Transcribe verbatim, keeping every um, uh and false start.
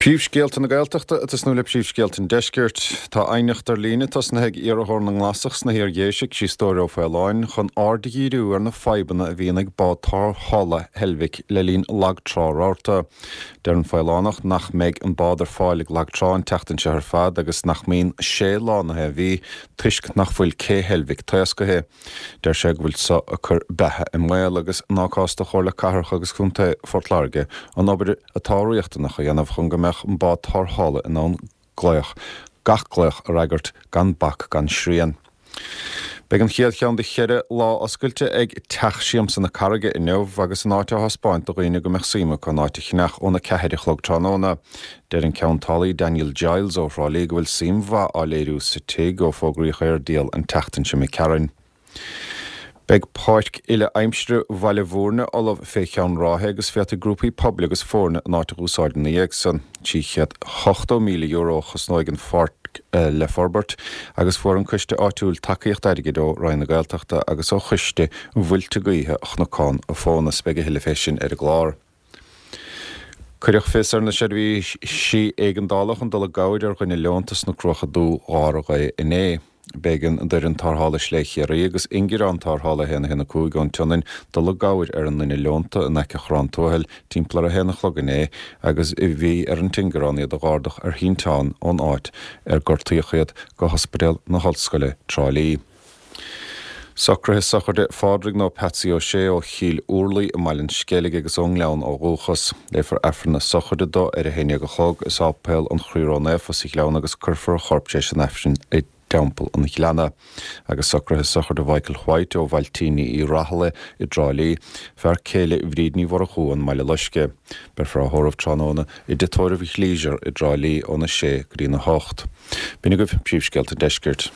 Príomhscéalta na Gaeltachta ag tosnú le príomhscéalta an Deiscirt. Tá aighneacht ar líne tosnaithe ag iarrthóir na nGlasach sna hIar-Dhéise, Críostóir Ó Faoláin, chun aird a dhíriú ar na fadhbanna a bhíonn ag bád tarrthála Heilbhic le linn lagtrá rabharta. Deir an Faolánach nach mbeidh an bád ar fáil ag lagtrá an tseachtain seo ar fad agus nach mbíonn sé lá na mhí toisc nach bhfuil cé Heilbhic taoscaithe. Deir sé go bhfuil so ag cur beatha i mbaol agus ná cás do Chomhairle Cathrach agus Contae Phort Láirge an obair atá riachtanach a dhéanamh chun go mbeadh an bád tarrthála in ann glaoch gach glaoch a fhreagairt gan bac gan srian. Beidh an chéad cheann de cheithre lá oscailte ag Teach Siamsa na Carraige inniu agus an áit á thaispeáint do dhaoine go mbeadh suim acu an áit a cheannach óna ceathair a chlog tráthnóna. Deir an ceantálaí Daniel Giles ó Thrá Lí go bhfuil suim mhaith á léiriú sa tigh ó fógraíodh é ar díol an tseachtain seo imigh tharainn. Beidh páirc uile-aimsire Bhaile Bhúirne ullamh fé cheann ráithe agus féadfaidh grúpaí pobail agus foirne an áit a úsáid ina dhiaidh san. trí chéad ochtó míle euro a chosnóidh an pháirc le forbairt agus fuair an coiste áitiúil tacaíocht airgid ó Roinn na Gaeltachta agus ó choiste Mhuilte Gaoithe Chnocán a Fónas. Beidh a thuilleadh fé sin ar an gclár. Cuireadh fios ar na seirbhísí éigeandála chun dul i gcabhair ar dhuine leonta sna Cruacha Dubha dhár ghaoth inné. B'éigean d'fhoireann tarrthála Slé Chiarraí agus ingearán tarrthála a haon a haon a cúig ón tSionainn dul i gcabhair ar an nduine leonta in aice Chorrán Tuathail timpeall ar a haon a chlog inné agus bhí ar an t-ingearán iad a dh'ardach ar shínteán ón áit ar gortaíodh iad go hOspidéal na hOllscoile, Trá Lí. Socruithe sochraide Phádraig nó Patsy Ó Sé ó Chill Úrlaí i mBaile an Sceilg agus ón nGleann ó dhúchas. Léifear Aifreann na sochraide dó ar a haon déag a chlog i Sáipéal an Chroí Ró-Naofa sa Ghleann agus cuirfear a chorp tar éis an Aifrinn i dTeampall an Ghleanna. Agus socruithe sochraide Mhichael White ó Bhailtíní Uí Rathaille i dTrá Lí, fear céile Bhríd Ní Mhurchú ón mBaile Loiscthe. Beifear á thórramh tráthnóna i dTigh Tórraimh Leisure i dTrá Lí óna sé go dtí na hocht. B'in agaibh príomhscéalta an deiscirt.